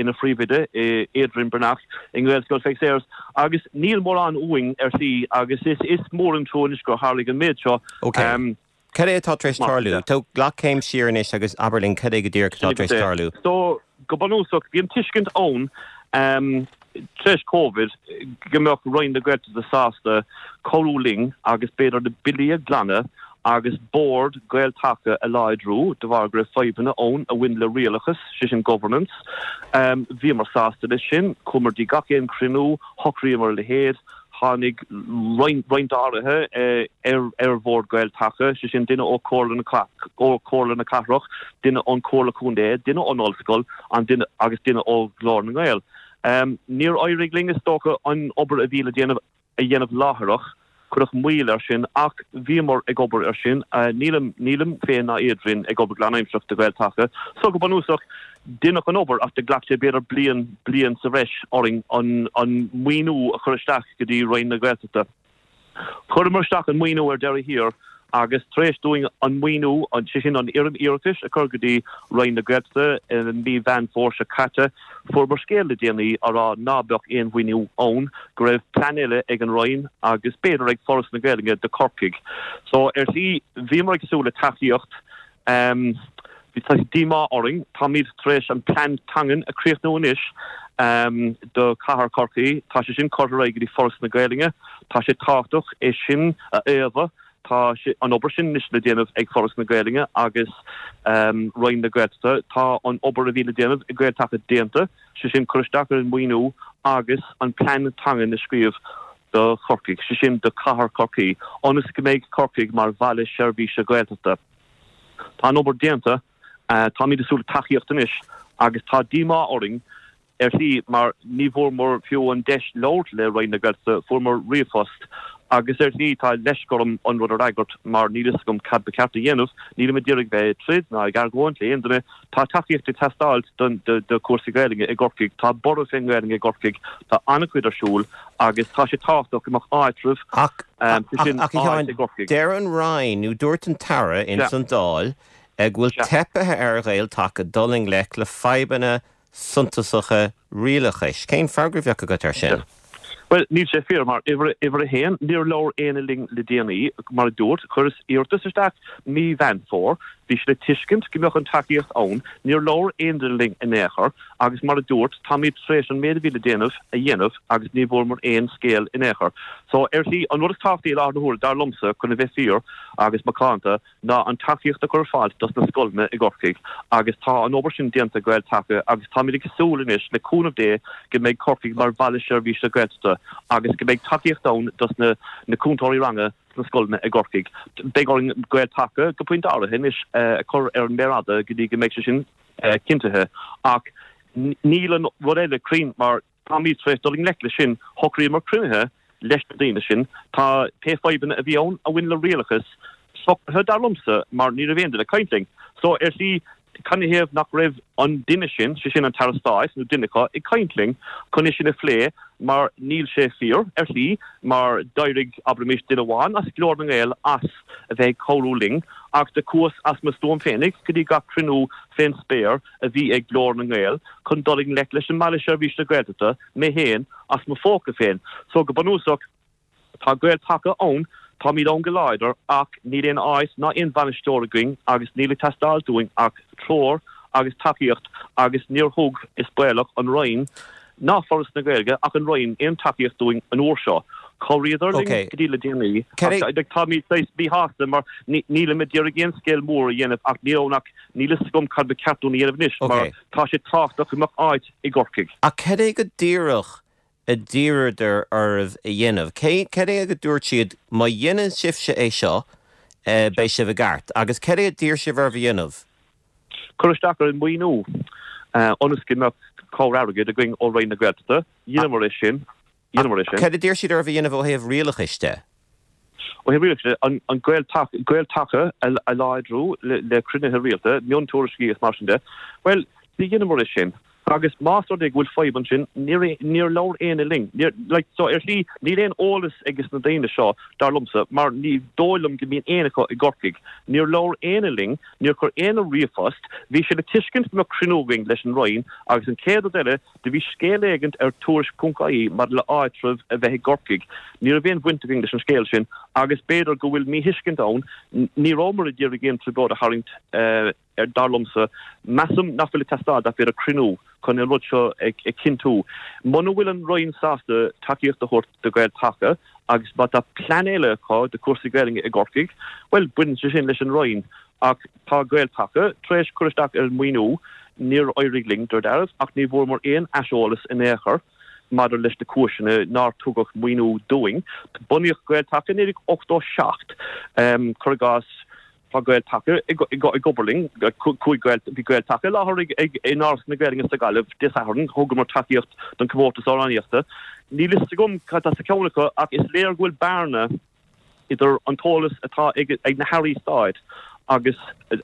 ina phríomhoide, Adrian Breathnach, i nGaelscoil Pheig Sayers, agus níl mórán uainn ar shlí agus is is mór an trua anois gur tharlaigh an méid seo. Ok. Cad é atá tar éis tarlú? Tóg glac céim siar anois agus abair linn cad é go díreach atá tar éis tarlú. So, go bunúsach, bhí an tuiscint ann tar éis Covid go mbeadh Roinn na Gaeltachta sásta cabhrú linn agus b'fhéidir na billí a ghlanadh agus bord Gael-Taca a láidriú de bharr go raibh fadhbanna ann a bhain le rialachas, sé sin governance. Bhíomar sásta leis sin, chuamar dtí gach aon chruinniú, shocraíomar a leithéid. Tháinig roinnt áirithe ar bhord Gael-Taca, sé sin duine ó Chomhairle na Cathrach, duine ón Chomhairle Contae, duine ón Ollscoil agus duine ó Ghlór na nGael. Níor éirigh linn, is dócha, an obair a bhí le déanamh a dhéanamh láithreach. Cuireadh moill air sin ach bhíomar ag obair air sin. Nílim, nílim féin ná Adrian ag obair go lánaimsearach do Ghael-Taca. So go bunúsach, deineadh an obair ach do ghlac sé b'fhéidir bliain, bliain sa bhreis orainn an, an maoiniú a chur isteach go dtí Roinn na Gaeltachta. Chuireamar isteach an maoiniú ar deireadh thiar agus tar éis dúinn an maoiniú, sé sin an fhoirm iarratais a chur go dtí Roinn na Gaeltachta i mí Mheán Fómhair seo caite, fuaireamar scéal le déanaí á rá ná beadh aon mhaoiniú ann, go raibh plean eile ag an Roinn agus b'fhéidir ag Foras na Gaeilge do Chorcaigh. So ar shlí bhíomar ag súil le tacaíocht. Bhí tá díomá orainn. Táimid tar éis an plean teangan a chríochnú anois do chathair Chorcaí. Tá sé sin curtha ar aghaidh go dtí Foras na Gaeilge. Tá sé tábhachtach é sin a fhaomhadh. Tá an obair sin anois le déanamh ag Foras na Gaeilge agus Roinn na Gaeltachta. Tá an obair a bhí le déanamh ag Gael-Taca déanta, sé sin cur isteach ar an maoiniú agus an plean teangan a scríobh do Chorcaigh, sé sin do chathair Chorcaí, ionas go mbeidh Corcaigh mar bhaile seirbhíse Gaeltachta. Tá an obair déanta, táimid ag súil le tacaíocht anois agus tá díomá orainn ar shlí mar ní bhfuaireamar fiú an deis labhairt le Roinn na Gaeltachta, fuaireamar ríomhphost agus ar shlí tá leisc orm an rud a fhreagairt mar níl fhios agam cad ba cheart a dhéanamh, nílim ag iarraidh bheith ag troid ná ag argóint le aon duine, tá tacaíocht ag teastáilt don do chúrsaí Gaeilge i gCorcaigh, tá borradh fén nGaeilge i gCorcaigh, tá an-chuid ar siúl agus tá sé tábhachtach go mbeadh áitreabh, Ach, sé sin ach a áit Sheáin, i gCorcaigh. deir an Roinn, nó dúirt an tAire ins an Dáil, go bhfuil teipthe ar Ghael-Taca dul i ngleic le fadhbanna suntasacha rialachais. Cén freagra a bheadh agat air sin? Bhuel, níl sé fíor, mar uimhir, uimhir a haon, níor labhair éinne linn le déanaí, mar a dúirt, chuireas iarratas isteach mí Mheán Fómhair, bhí sé le tuiscint go mbeadh an tacaíocht ann, níor labhair aon duine linn in aon chor, agus mar a dúirt, táimid tar éis an méid a bhí le déanamh a dhéanamh agus ní bhfuaireamar aon scéal in aon chor. So, ar shlí, an rud is tábhachtaí i láthair na huaire, dar liomsa, chun a bheith fíor agus macánta, ná an tacaíocht a chur ar fáil dos na scoileanna i gCorcaigh agus tá an obair sin déanta ag Gael-Taca agus táimid ag súil anois le cúnamh Dé go mbeidh Corcaigh mar bhaile seirbhíse Gaeltachta agus go mbeidh tacaíocht ann dos na na cúntóirí ranga sna scoileanna i gCorcaigh. Beidh orainn Gael-Taca go pointe áirithe anois a chur ar an méar fhada go dtí go mbeidh sé sin cinntithe ach níl an rud eile cruinn mar táimid tar éis dul i ngleic leis sin, shocraíomar cruinnithe leis na daoine sin. Tá pé fadhbanna a bhí ann a bhain le rialachas socraithe, dar liomsa, mar ní raibh aon duine ag caint linn. So, ar shlí, canathaobh nach raibh an duine sin, sé sin an tAire Stáit nó duine acu, ag caint linn chun é sin a phlé mar níl sé fíor, ar shlí, mar d'éirigh, abraimis, duine amháin as Glór na nGael as a bheith ag cabhrú linn ach do chuas as mo stuaim féinig go dtí gach cruinniú fén spéir a bhí ag Glór na nGael chun dul i ngleic leis an mBaile Seirbhíse Gaeltachta, mé féin, as mo phóca féin. So, go bunúsach, tá Gael-Taca ann, táimid ann go láidir, ach níl aon áit ná aon bhainisteoir againn agus níl ag teastáilt uainn ach treoir agus tacaíocht agus níor thug, is baolach, an Roinn ná Foras na Gaeilge ach an Roinn aon tacaíocht dúinn an uair seo. Chabhraíodar linn go dtí le déanaí ach táimid saghas míshásta mar nílim ag iarraidh aon scéal mór a dhéanamh ach níl ann ach níl fhios agam cad ba cheart dúinn a dhéanamh anois mar tá sé tábhachtach go mbeadh áit i gCorcaigh. Ach cad é go díreach a d'iarradar oraibh a dhéanamh? Cad é a dúirt siad má dhéanann sibhse é seo beidh sibh i gceart? Agus cad é a d'iarr sibh oraibh a dhéanamh? Cur isteach ar an maoiniú ionas go mbeadh cabhair airgid againn ó Roinn na Gaeltachta. Dheineamar é sin. Dheineamar é sin. Cad a d'iarr siad oraibh a dhéanamh ó thaobh rialachais de? Ó thaobh rialachais de, an Gael-Taca a láidriú le cruinnithe rialta, miontuairiscí is mar sin de. Bhuel, ní dheineamar é sin. Agus más rud é go bhfuil fadhb ansin, níor labhair éinne linn. Níor, like, so ar shlí, níl aon eolas ages na daoine seo, dar liomsa, mar ní dóigh liom go mbíonn éinne acu i gCorcaigh. Níor labhair éinne linn, níor chuir éinne ríomhphost. Bhí sé le tuiscint go mbeadh cruinniú againn leis an Roinn agus an chéad rud eile, do bhí scéal éigint ar Tuairisc ponc ie maidir le áitreabh a bheith i gCorcaigh. Ní raibh aon bhaint againn leis an scéal sin agus b'fhéidir go bhfuil míthuiscint ann, ní rabhamar ag iarraidh aon trioblóid a tharraingt, dar liomsa. Measaim nach bhfuil ag teastáil ach b'fhéidir cruinniú chun an rud seo a chinntiú. Muna bhfuil an Roinn sásta tacaíocht a thabhairt do Ghael-Taca agus má tá plean eile acu do chúrsaí Gaelainne i gCorcaigh, bhuel, baineann sé sin leis an Roinn. Ach tá Gael-Taca tar éis cur isteach ar an maoiniú, níor éirigh linn, dar dealramh, ach ní bhfuaireamar aon aiseolas in aon chor maidir leis na cúiseanna nár tugadh maoiniú dúinn. Bunaíodh Gael-Taca i naoi déag ochtó seacht, cuir i gcás, Tá Gael-Taca ag obair linn, chuaigh Gael, bhí Gael-Taca i láthair ag in Áras na Gaeilge sa Ghaillimh Dé Sathairn, thugamar tacaíocht don chomórtas amhránaíochta. Níl fhios agam cad tá sa cheann acu ach is léir go bhfuil bearna idir an t-eolas atá ag na hairí stáit agus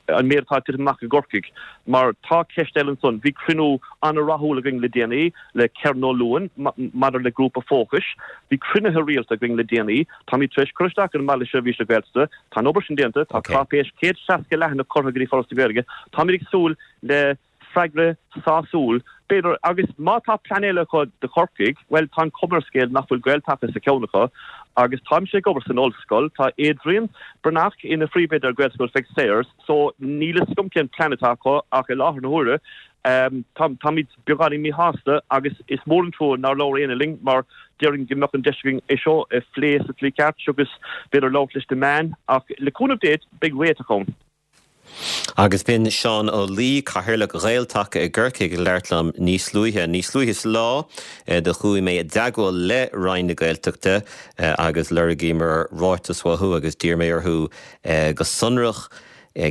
an méid atá ag titim amach i gCorcaigh. Mar tá ceist eile ansan. Bhí cruinniú an-rathúil againn le déanaí le Kerron Ó Luain maidir le grúpa fócais. Bhí cruinnithe rialta againn le déanaí. Táimid tar éis cur isteach ar an mBaile Seirbhíse Gaeltachta. Tá an obair sin déanta. Tá cáipéis céad seasca leathanach curtha go dtí Foras na Gaeilge. Táimid ag súil le freagra sásúil, b'fhéidir, agus má tá plean eile acu do Chorcaigh, bhuel, tá an chuma ar an scéal nach bhfuil Gael-Taca sa cheann acu, agus táimse ag obair san ollscoil, tá Adrian Breathnach ina phríomhoide ar Ghaelscoil Pheig Sayers, so níl a fhios agam cén plean atá acu ach i láthair na huaire, táimid beagáinín míshásta agus is mór an trua nár labhair éinne linn mar déarfainn go mbeadh an deis againn é seo a phlé sa tslí ceart agus b'fhéidir labhairt leis na meáin ach le cúnamh Dé beidh réiteach ann. Agus b'in Seán Ó Laoi, Cathaoirleach Ghael-Taca i gCorcaigh ag labhairt liom níos luaithe. Níos luaithe sa lá do chuaigh mé i dteagmháil le Roinn na Gaeltachta agus lorgaíomar ráiteas uathu agus d'iarr mé orthu go sonrach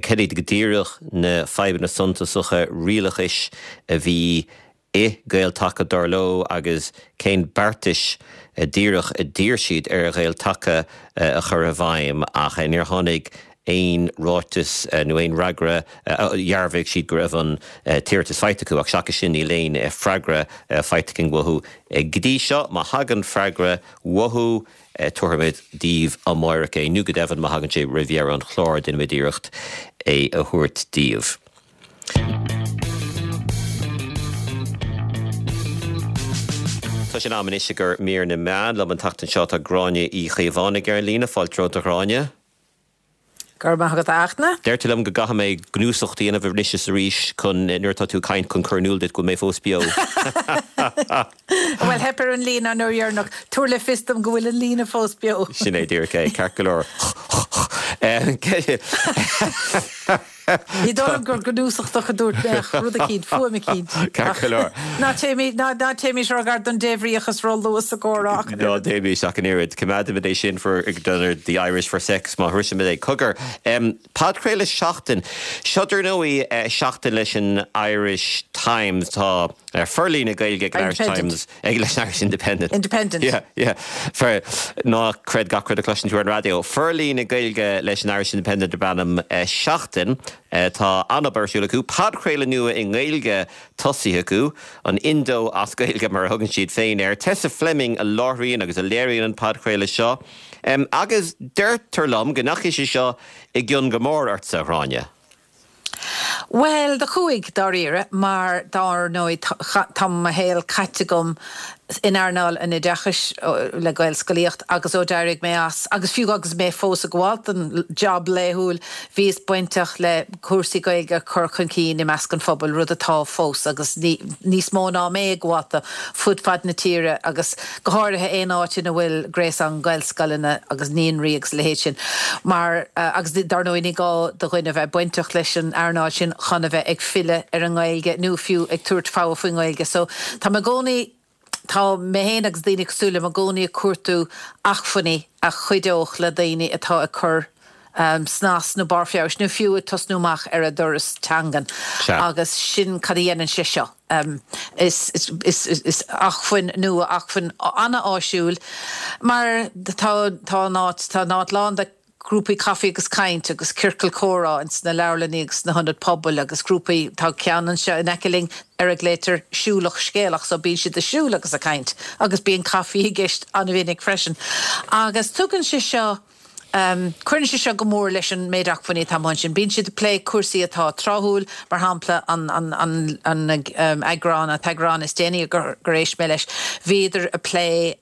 cad iad go díreach na fadhbanna suntasacha rialachais a bhí i Gael-Taca dar leo agus cén beartais díreach a d'iarr siad ar Ghael-Taca a chur i bhfeidhm ach níor tháinig aon ráiteas nó aon fhreagra, dhearbhaigh siad go raibh an t-iarratas faighte acu ach seachas sin níl aon freagra faighte againn uathu go dtí seo. Má thagann freagra uathu tabharfaimid daoibh amáireach é nó go deimhin má thagann sé roimh dheireadh an chláir déanfaimid iarracht é a thabhairt daoibh. Tá sé in am anois i gcomhair mír na meán. Liom an tseachtain seo tá Gráinne Uí Chaomhánaigh ar an líne. Fáilte romhat a Ghráinne. Go raibh maith agat a Fhachtna. Deir tú liom go gcaithfidh mé gnúsacht a dhéanamh anois is arís chun, nuair atá tú ag caint, chun cur in iúl duit go bhfuil mé fós beo. Bhuel, theip ar an líne an uair dheireanach. Tabhair le fios dom go bhfuil an líne fós beo. Sin é díreach é, ceart go leor. Ní dóigh liom gur gnúsachtach a dúirt mé ach rud eicínt, fuaim eicínt. Ceart go leor. Ná téimis róghar don débhríochas róluath sa gcomhrá ach an Ná oiread. téimis ach an oiread. Coimeádfaimid é sin for the Irish for sex má shroisimid é. Cogar, podchraoladh Seachtain. Seo dar ndóigh Seachtain leis an Irish Times. Tá forlíonadh Gaeilge ag an Irish Times, ag leis an Irish Independent. Independent. Yeah, yeah. For, ná creid gach rud a chloiseann tú ar an raidió. Forlíonadh Gaeilge leis an Irish Independent darb ainm Seachtain. Tá an-obair ar siúl acu. Podchraoladh nua i nGaeilge tosaithe acu, an Indo as Gaeilge mar a thugann siad féin air. Tessa Fleming a láithríonn agus a léiríonn an podchraoladh seo. Agus deirtear liom go ndeachaigh sé seo i gcion go mór ortsa, a Ghráinne. Bhuel, do chuaigh, dáiríre, mar dár ndóigh tá mo shaol caite agam in earnáil an oideachais le Gaelscolaíocht agus ó d'éirigh mé as, agus fiú agus mé fós ag gabháil don job laethúil, bhíos bainteach le cúrsaí Gaeilge a chur chun cinn i measc an phobail, rud atá fós agus níos mó ná mé ag gabháil dó fud fad na tíre agus go háirithe aon áit ina bhfuil gréasán Gaelscoileanna agus naíonraí agus a leithéid sin. Mar, agus dar ndóigh ní gá do dhuine bheith bainteach leis an earnáil sin chun a bheith ag filleadh ar an nGaeilge nó fiú ag tabhairt fogha faoin nGaeilge. So tá mé i gcónaí, tá mé féin agus daoine cosúil liom i gcónaí ag cuartú acmhainní a chuideodh le daoine atá ag cur snas nó barr feabhais nó fiú ag tosnú amach ar a dturas teangan. Agus sin cad a dhéanann sé seo. Is is acmhainn nua, acmhainn an-áisiúil mar tá tá an áit, tá an áit lán de grúpaí caife agus caint agus ciorcail comhrá ins na leabharlannaí agus sna hionaid pobail agus grúpaí, tá ceann anseo in aice linn ar a nglaoitear Siúlach Scéalach so bíonn siad ag siúl agus ag caint agus bíonn caife i gceist an-mhinic freisin. Agus tugann sé seo, cuireann sé seo go mór leis an méid acmhainní atá amuigh ansin. Bíonn siad ag plé cúrsaí atá tráthúil, mar shampla an an eagrán, an t-eagrán is déanaí gur éist mé leis, bhíodar ag plé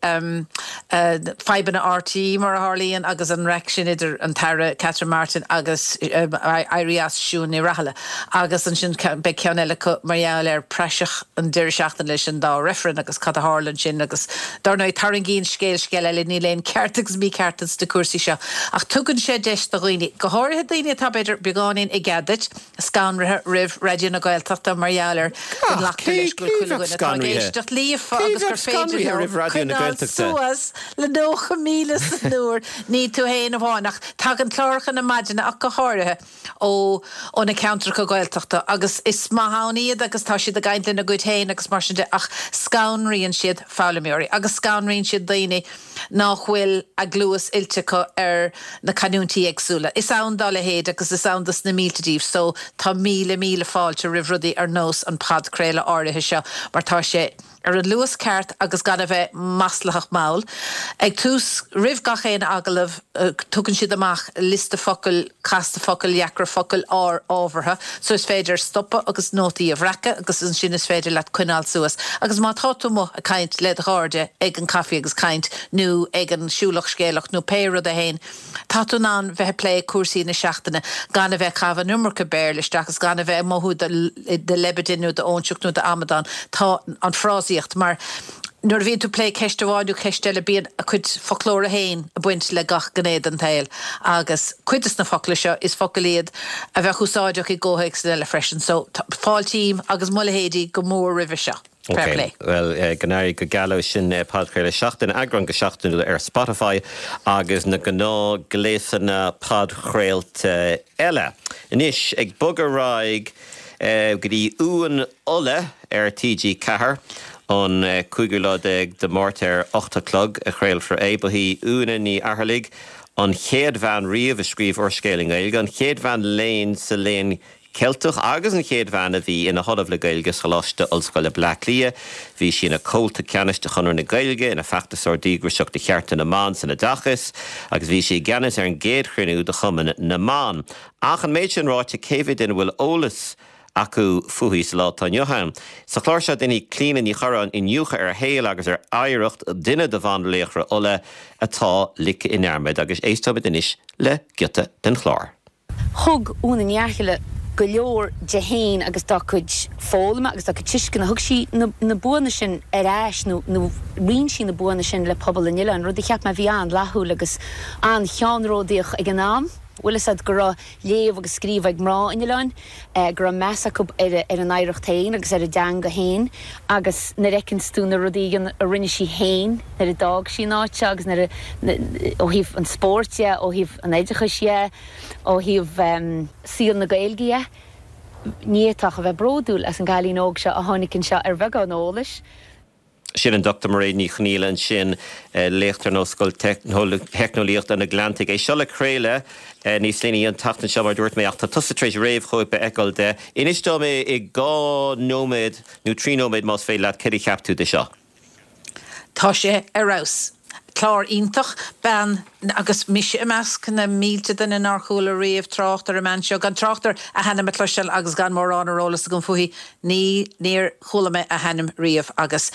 fadhbanna RTÉ mar a tharlaíonn agus an raic sin idir an tAire Catherine Martin agus éirí as Siún Ní Raghallaigh agus ansin beidh ceann eile acu mar gheall ar praiseach an deireadh seachtaine leis an dá reifreann agus cad a tharla ansin agus dar ndóigh tarraingíonn scéal scéal eile, níl aon ceart agus mícheart ins na cúrsaí seo ach tugann sé deis do dhaoine, go háirithe daoine atá b'fhéidir beagáinín i gcead duit, scanraithe roimh Raidió na Gaeltachta mar gheall ar go nglactar leis go bhfuil chuile dhuine atá ag éisteacht líofa agus gur féidir leo coinneáil suas le nócha míle san uair, ní tú féin amháin ach tagann cláracha na maidine ach go háirithe ó ó na ceantracha Gaeltachta agus is maith ann iad agus tá siad ag caint lena gcuid féin agus mar sin de ach scanraíonn siad foghlaimeoirí agus scanraíonn siad daoine nach bhfuil a gcluas oilte acu ar ar na canúintí éagsúla. Is ann dá leithéid agus is ann dos na mílte díobh, so tá míle míle fáilte roimh rudaí ar nós an podchraoladh áirithe seo mar tá sé ar an luas ceart agus gan a bheith maslach mall. Ag tús roimh gach aon agallamh tugann siad amach liosta focal casta focail dheacra focail ár ábhartha, so is féidir stopadh agus nótaí a bhreacadh agus ansin is féidir leat coinneáil suas. Agus má tá tú amuigh ag caint le do chairde ag an caife agus caint nó ag an siúlach scéalach nó pé rud é féin, tá tú in ann bheith ag plé cúrsaí na seachtaine gan a bheith ag caitheamh an iomarca Béarla isteach agus gan a bheith ag mothú do leibide nó d'óinseach nó d'amadán. Tá an frásaíocht mar nuair a bhíonn tú ag plé ceist amháin nó ceist eile bíonn a cuid foclóra féin ag baint le gach gné den tsaol agus cuid de na focla seo is focail iad a bheadh úsáideach i gcomhthéacsanna eile freisin. So fáiltím agus mo leithéidí go mór roimhe seo. Fair play. Well go n-éirí go geal leo sin podchraoladh seachtaine eagrán go seachtainiúil ar Spotify agus na gnáthghléasanna podchraolta eile. Anois ag bogadh ar aghaidh go dtí Uain Uladh ar T G ceathair an cúigiú lá déag de Mhárta ar ocht a chlog a chraolfar é. Ba í Úna Ní Fhaircheallaigh an chéad bhean riamh a scríobh úrscéal i nGaeilge, an chéad bhean léinn sa Léann Ceilteach agus an chéad bhean a bhí ina hollamh le Gaeilge sa Choláiste Ollscoile Bleá Cliath. Bhí sí ina comhalta ceannais de Chonradh na Gaeilge, ina feachtasóir díograiseach do chearta na mban san oideachas agus bhí sí i gceannas ar an gcéad chruinniú de Chumann na mBan. Ach an méid sin ráite, cé mhéad duine a bhfuil eolas acu fúithi sa lá atá inniu ann? Sa chlár seo déanfaidh Clíona Ní Churráin iniúchadh ar a shaol agus ar oidhreacht duine de bhanlaochra Uladh atá ligthe i ndearmad agus éisteoimid anois le giota den chlár. Thug Úna Ní Fhaircheallaigh go leor di féin agus dá cuid foghlama agus dá cuid tuisceana. Thug sí na buanna sin ar ais nó roinn sí na buanna sin le pobal an oileáin, rud a cheap mé a bhí an-fhlaithiúil agus an-cheannródaíoch ag an am. Bhfuil fhios a'd go raibh léamh agus scríobh ag mná an oileáin, go raibh meas acu ar a n-oidhreacht féin agus ar a dteanga féin agus nuair a fheiceanns tú na rudaí a rinne sí féin nuair a d'fhág sí an áit seo agus nuair a, ó thaobh an spóirt dhe, ó thaobh an oideachais dhe, ó thaobh saol na Gaeilge dhe, ní fhéadfá ach a bheith bródúil as an gcailín óg seo a tháinig anseo ar bheagán eolais. Sin an Dochtúir Mairéad Ní Chonghaile ansin, léachtóir in Ollscoil Teicneolaíochta an Atlantaigh. É seo le craoladh níos déanaí an tseachtain seo mar a dúirt mé ach tá tusa tar éis réamhchóip a fheiceáil de. Inis dom i dhá nóiméad nó trí nóiméad más féidir leat céard a cheap tú de seo. Tá sé ar fheabhas. Clár iontach, bean, agus mise i measc na mílte duine nár chuala riamh trácht ar an mbean seo, gan trácht ar a hainm a chloisteáil agus gan mórán ar eolas agam fúithi, ní, níor chuala mé a hainm riamh agus,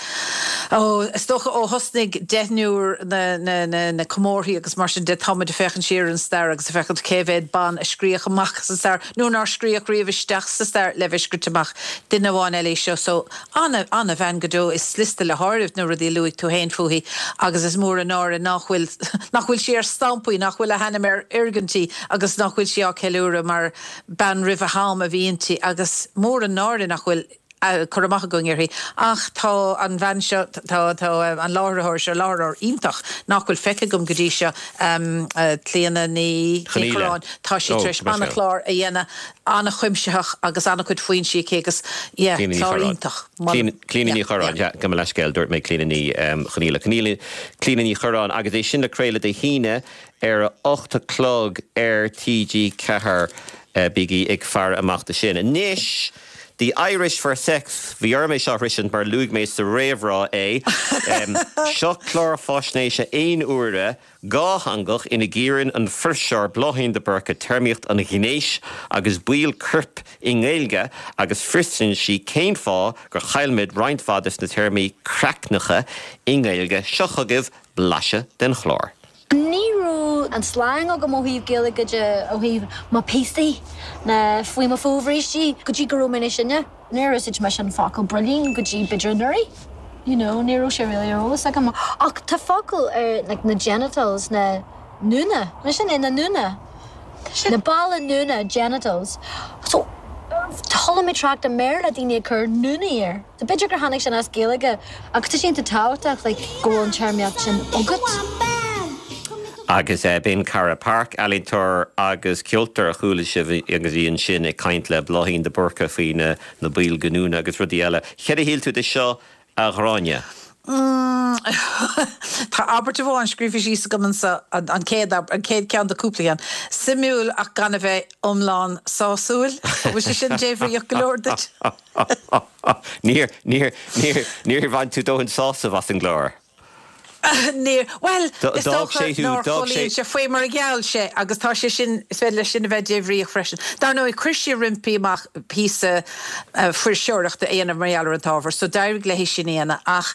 ó, is dócha ó thosnaigh deichniúr na, na, na, na comórthaí agus mar sin de, táimid ag féachaint siar ar an stair agus ag féachaint cé mhéad ban a scríodh amach sa stair nó nár scríodh riamh isteach sa stair le bheith scríte amach. Duine amháin eile í seo, so, ana, ana-bhean go deo, is liosta le háireamh na rudaí a luaigh tú féin fúithi agus is mór an náire nach bhfuil, nach bhfuil sí ar stampaí, nach bhfuil a hainm ar fhoirgintí agus nach bhfuil sí á ceiliúradh mar bean roimh a ham a bhí inti agus mór an náire nach bhfuil cur amach againn uirthi. Ach tá an bhean seo, tá, tá an láithreoir seo, láithreoir iontach nach bhfuil feicthe agam go dtí seo, Clíona Ní Churráin, tá sí tar éis an-chlár a dhéanamh, an-chuimsitheach agus an-chuid foinsí aici agus, yeah, clár iontach. Clíona Ní Churráin, yeah, gabh mo leithscéal, dúirt mé Clíona Ní Chonghaile. Clíona Ní Churráin agus é sin le craoladh Dé hAoine ar a hocht a chlog ar T G ceathair. Bígí ag faire amach do sin. Anois, The Irish for Sex, bhí orm é seo a throisint mar luaigh mé sa réamhrá é. Seo clár faisnéise aon uaire, dhátheangach ina gcíorann an fuirseoir Bláithín de Búrca téarmaíocht an ghnéis agus baill coirp i nGaeilge agus fiosraíonn sí cén fáth gur chaill muid roinnt mhaith des na téarmaí craicneacha i nGaeilge. Seo chugaibh blaiseadh den chlár. Ní raibh an slang agam ó thaobh Gaeilge de, ó thaobh mo phíosaí ná faoi mo fhobhrístí go dtí go raibh mé níos sine. Níor úsáid mise an focal builín go dtí b'fhéidir anuraidh. You know, ní raibh sé really ar eolas agam. Ach tá focal ar like na genitals, na núna, mar sin é, na núna. Na balla núna, genitals. So, chuala mé trácht i mBéarla daoine ag cur núnaí air. So b'fhéidir gur tháinig sin as Gaeilge ach tá sé iontach tábhachtach like go bhfuil an téarmaíocht sin agat. Agus b'in Cara Park, ealaíontóir agus ceoltóir a chuala sibh agus í ansin ag caint le Bláithín de Búrca faoi na baill giniúna agus rudaí eile. Céard a shíl tú de seo, a Ghráinne? Mm, Tá abairt amháin scríofa síos agam anseo an chéad an chéad ceann de cúpla ceann. Suimiúil ach gan a bheith iomlán sásúil, bhfuil sé sin débhríoch go leor duit? Níor níor níor níor bhain tú dóthain sásamh as an gclár. Níor, bhuel, is dócha nár chomhlíon sé faoi mar a gheall sé agus tá sé sin, is féidir leis sin a bheith débhríoch freisin. Dar ndóigh, chuir sí roimpi amach píosa fuirseoireachta a dhéanamh mar gheall ar an t-ábhar, so d'éirigh léi sin a dhéanamh ach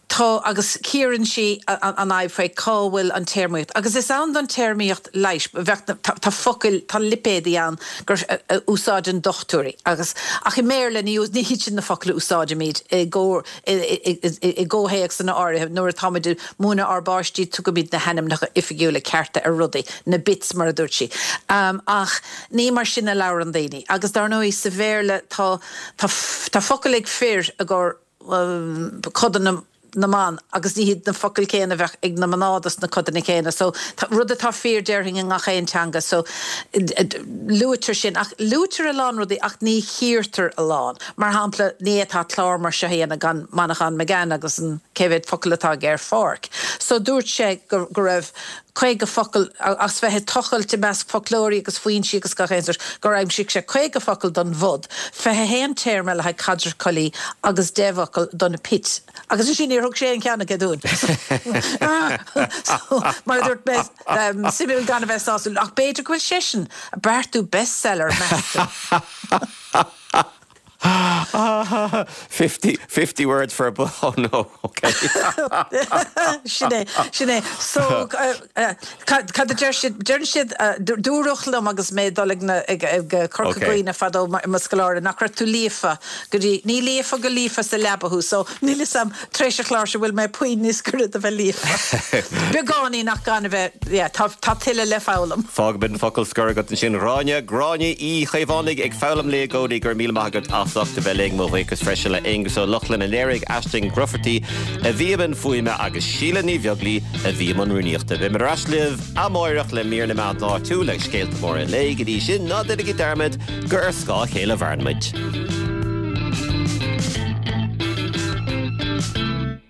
tá, agus cíorann sí an fhadhb faoi cá bhfuil an téarmaíocht. Agus is ann don téarmaíocht leighis, bheadh, tá focail, tá lipéadaí ann gur a úsáideann dochtúirí agus, ach i mBéarla ní, ní hiad sin na focail a úsáidimid i gcomhair, i gcomhthéacsanna áirithe. Nuair atáimid ag múineadh ár bpáistí tugaimid na hainmneacha oifigiúla cearta ar rudaí, na bits mar a dúirt sí. Ach ní mar sin a labhrann daoine. Agus dar ndóigh sa Bhéarla tá, tá, tá focail ag fir i gcomhair codanna na mban agus ní hiad na focail céanna a bheadh ag na mná dos na codanna céanna. So rud atá fíor déarfainn i ngach aon teanga. So luaitear sin ach luaitear a lán rudaí ach ní chíortar a lán. Mar shampla ní fhéadfá clár mar seo a dhéanamh gan Manchán Magan agus an cé mhéad focal atá aige ar pháirc. So dúirt sé go go raibh caoga focal, as bheith ag tochailt i measc foclóirí agus foinsí agus gach aon sórt, gur aimsigh sé caoga focal don bhod, fiche a haon téarma le haghaidh caidreamh collaí agus deich bhfocal don pit. Agus ansin níor thug sé aon cheann acu dúinn. So, mar a dúirt mé, suimiúil gan a bheith sásúil, ach b'fhéidir go bhfuil seisean ag beartú bestseller, meas tú? Fifty, fifty words for a bu, oh no, ok. Sin é, sin é. So, cad a deir siad, deireann siad, dúradh liom agus mé ag dul ag na, ag, ag Corca Dhuibhne fadó i mo scoláire nach raibh tú líofa go dtí, ní líofa go líofa sa leaba thú, so níl 'fhios a'm tar éis an chláir seo bhfuil mé puinn níos gaire do bheith líofa. Beagáinín ach gan a bheith, yeah, tá, tá tuilleadh le foghlaim. Fágfaimid an focal scoir agat ansin, Gráinne, Gráinne Uí Chaomhánaigh ag foghlaim léi i gcónaí, go raibh míle maith agat as ucht a bheith linn. Mo bhuíochas freisin le Aengus Ó Lochlainn a léirigh Aisling Grufferty a bhí i mbun fuaime agus Síle Ní Bheaglaoi a bhí i mbun rúnaíochta. Beimid ar ais libh amárach le mír na meán áitiúil agus scéalta móra an lae. Go dtí sin, ná déanaigí dearmad gur ar scáth a chéile a mhaireann muid.